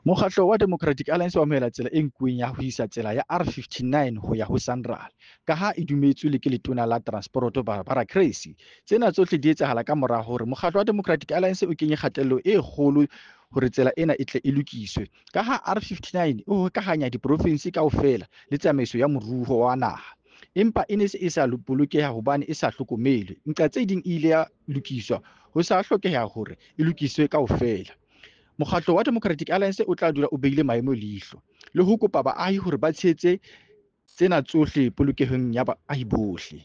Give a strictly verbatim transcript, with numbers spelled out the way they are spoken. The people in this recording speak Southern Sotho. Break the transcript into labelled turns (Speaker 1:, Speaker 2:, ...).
Speaker 1: Mokgatlo wa Democratic Alliance o amohela tsela e nkuweng ya ho isa tsela ya R fifty-nine ho ya ho SANRAL, ka ha e dumetswe le ke letona la Transporoto Barbara Creecy. Tsena tsohle di etsahala ka mora hore mokgatlo wa Democratic Alliance o kenye kgatello e kgolo hore tsela ena e tle e lokiswe, ka ha R fifty-nine e hokahanya diprofinsi kaofela le tsamaiso ya moruo wa naha. Empa e ne se e sa bolokeha hobane e sa hlokomelwe. Nqa tse ding e ile ya lokiswa, ho sa hlokeha hore e lokiswe kaofela. Mokgatlo wa Democratic Alliance o tla dula o behile maemo leihlo le ho kopa baahi hore ba tshehetse tsena tsohle polokehong ya baahi bohle.